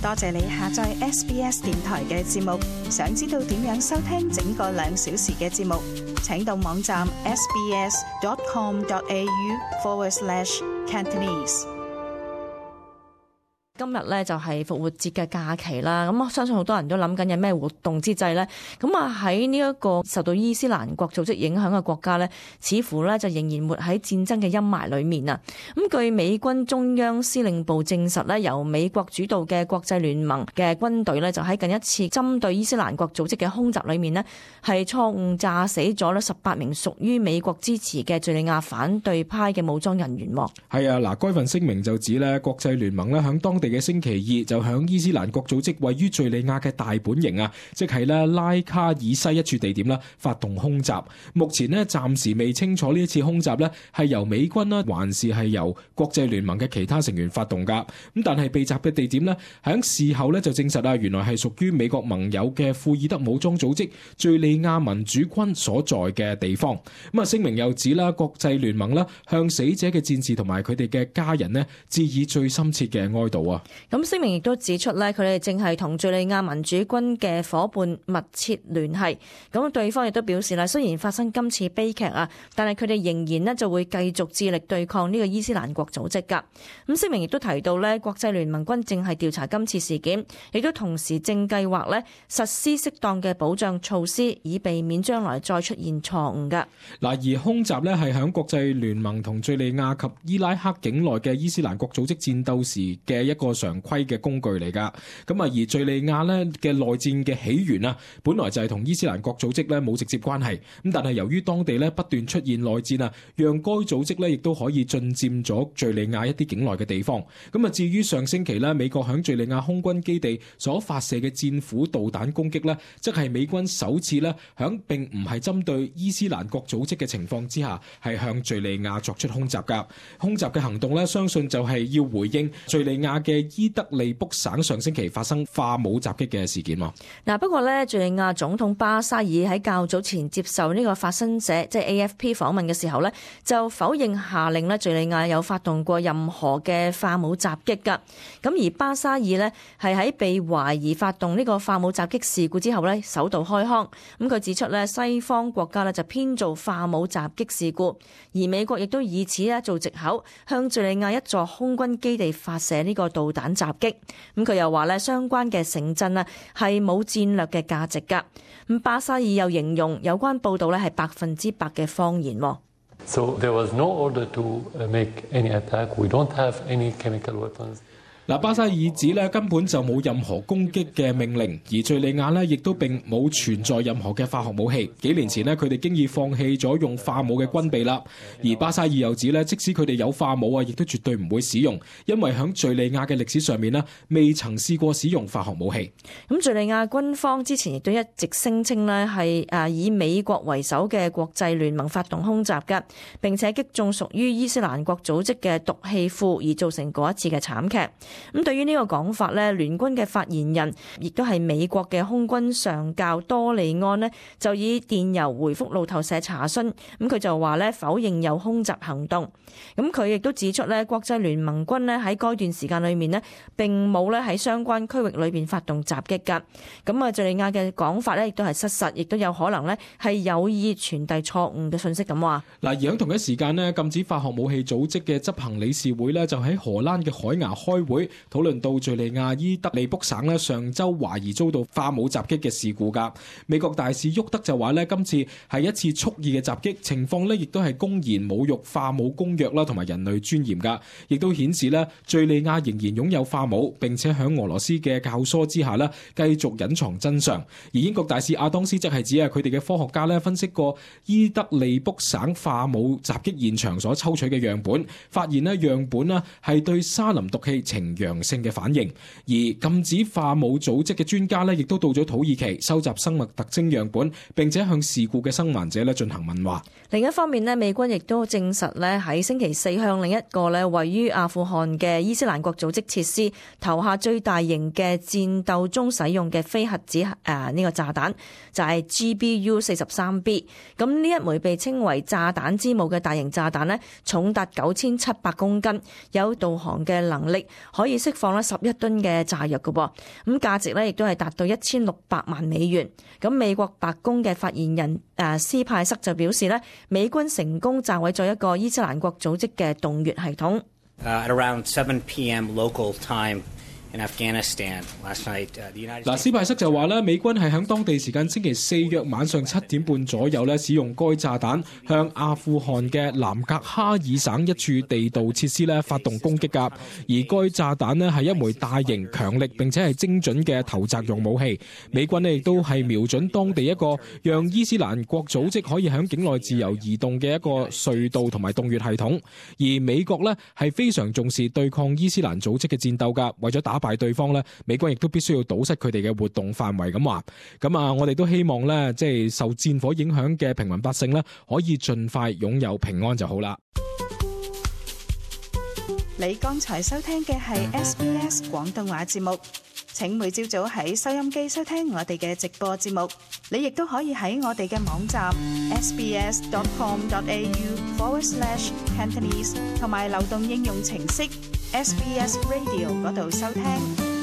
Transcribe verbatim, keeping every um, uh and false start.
多謝你下載 S B S 電台嘅節目。想知道點樣收聽整個兩小時嘅節目，請到網站 sbs.com.au forward slash Cantonese。今日咧就係復活節嘅假期啦，咁我相信好多人都諗緊有咩活動之際呢。咁啊喺呢一個受到伊斯蘭國組織影響嘅國家呢，似乎咧就仍然活喺戰爭嘅陰霾裏面啊。咁據美軍中央司令部證實呢，由美國主導嘅國際聯盟嘅軍隊呢，就喺近一次針對伊斯蘭國組織嘅空襲裏面呢，係錯誤炸死咗呢十八名屬於美國支持嘅敘利亞反對派嘅武裝人員。係啊，嗱，該份聲明就指呢，國際聯盟呢響當地嘅星期二就響伊斯蘭國組織位於敘利亞嘅大本營啊，即係咧拉卡爾西一處地點啦，發動空襲。目前呢，暫時未清楚呢一次空襲呢係由美軍啦，還是係由國際聯盟嘅其他成員發動噶。咁但係被襲嘅地點呢，響事後呢就證實啊，原來係屬於美國盟友嘅庫爾德武裝組織敘利亞民主軍所在嘅地方。咁啊，聲明又指啦，國際聯盟啦向死者嘅戰士同埋佢哋嘅家人呢致以最深切嘅哀悼啊。咁聲明亦都指出咧，佢哋正係同敘利亞民主軍嘅夥伴密切聯繫。咁對方亦都表示啦，雖然發生今次悲劇啊，但係佢哋仍然咧就會繼續致力對抗呢個伊斯蘭國組織噶。咁聲明亦都提到咧，國際聯盟軍正係調查今次事件，亦都同時正計劃咧實施適當嘅保障措施，以避免將來再出現錯誤噶。嗱，而空襲咧係響國際聯盟同敘利亞及伊拉克境內嘅伊斯蘭國組織戰鬥時嘅一個常規嘅工具嚟噶，咁啊而敘利亞咧嘅內戰嘅起源啊，本來就係同伊斯蘭國組織咧冇直接關係，咁但係由於當地咧不斷出現內戰啊，讓該組織咧亦都可以進佔咗敘利亞一啲境內嘅地方。咁啊至於上星期咧美國響敘利亞空軍基地所發射嘅戰斧導彈攻擊咧，即係美軍首次咧響並唔係針對伊斯蘭國組織嘅情況之下，係向敘利亞作出空襲噶。空襲嘅行動咧，相信就係要回應敘利亞嘅伊德利卜省上星期發生化武襲擊嘅事件喎。嗱，不過咧，敘利亞總統巴沙爾喺較早前接受呢個法新社即係 A F P 訪問嘅時候咧，就否認下令咧敘利亞有發動過任何嘅化武襲擊㗎。咁而巴沙爾呢，係喺被懷疑發動呢個化武襲擊事故之後咧，首度開腔。咁佢指出咧，西方國家咧就編造化武襲擊事故，而美國亦都以此咧做藉口向敘利亞一座空軍基地發射呢個導彈襲擊。咁佢又話咧，相關嘅城鎮啊係冇戰略嘅價值噶。咁巴沙爾又形容有關報道咧係百分之百嘅謊言。So there was no order to make any attack. We don't have any chemical weapons. 嗱，巴沙爾指咧根本就冇任何攻擊嘅命令，而敘利亞咧亦都並冇存在任何嘅化學武器。幾年前咧，佢哋經已放棄咗用化武嘅軍備啦。而巴沙爾又指咧，即使佢哋有化武啊，亦都絕對唔會使用，因為響敘利亞嘅歷史上面咧，未曾試過使用化學武器。咁敘利亞軍方之前亦都一直聲稱咧係誒以美國為首嘅國際聯盟發動空襲嘅，並且擊中屬於伊斯蘭國組織嘅毒氣庫，而造成嗰一次嘅慘劇。咁對於呢個講法咧，聯軍嘅發言人亦都係美國嘅空軍上校多利安呢，就以電郵回覆路透社查詢。咁佢就話咧否認有空襲行動。咁佢亦都指出咧，國際聯盟軍咧喺該段時間裏面呢，並冇咧喺相關區域裏邊發動襲擊㗎。咁啊，敘利亞嘅講法咧亦都係失實，亦都有可能咧係有意傳遞錯誤嘅信息咁話。嗱，而喺同一時間呢，禁止化學武器組織嘅執行理事會呢，就喺荷蘭嘅海牙開會。討論到敘利亞伊德利卜省咧上周懷疑遭到化武襲擊嘅事故噶，美國大使沃德就話咧今次係一次蓄意嘅襲擊，情況咧亦都係公然侮辱化武公約啦同埋人類尊嚴噶，亦都顯示咧敘利亞仍然擁有化武，並且喺俄羅斯嘅教唆之下咧繼續隱藏真相。而英國大使亞當斯則係指啊佢哋嘅科學家咧分析過伊德利卜省化武襲擊現場所抽取嘅樣本，發現咧樣本咧係對沙林毒氣呈陽性嘅反應，而禁止化武組織嘅專家咧，亦都到咗土耳其收集生物特徵樣本，並且向事故嘅生還者咧進行問話。另一方面咧，美軍亦都證實咧喺星期四向另一個咧位於阿富汗嘅伊斯蘭國組織設施投下最大型嘅戰鬥中使用嘅非核子誒呢、呃這個炸彈，就係、是、G B U 四十三 B。咁呢一枚被稱為炸彈之母嘅大型炸彈咧，重達九千七百公斤，有導航嘅能力，可可以釋放咧十一噸嘅炸藥嘅噃，咁價值咧亦都係達到一千六百萬美元。咁美國白宮嘅發言人誒斯派塞就表示咧，美軍成功炸毀咗一個伊斯蘭國組織嘅洞穴系統。Uh, at around seven p.m. local time in Afghanistan last night, uh, the United States... 嗱，斯派塞就話咧，美軍係喺當地時間星期四約晚上七點半左右咧，使用該炸彈向阿富汗嘅南格哈爾省一處地道設施咧發動攻擊㗎。而該炸彈咧係一枚大型、強力並且係精準嘅投擲用武器。美軍咧亦都係瞄準當地一個讓伊斯蘭國組織可以喺境內自由移動嘅一個隧道同埋洞穴系統。而美國咧係非常重視對抗伊斯蘭組織嘅戰鬥㗎，為咗打敗對方咧，美軍亦都必須要堵塞佢哋嘅活動範圍咁話。咁啊，我哋都希望咧，即係受戰火影響嘅平民百姓咧，可以盡快擁有平安就好啦。你剛才收聽嘅係 S B S 廣東話節目。請每朝早喺收音機收聽我哋嘅直播節目。你亦都可以喺我哋嘅網站 sbs.com.au forward slash Cantonese 同埋流動應用程式 S B S Radio 嗰度收聽。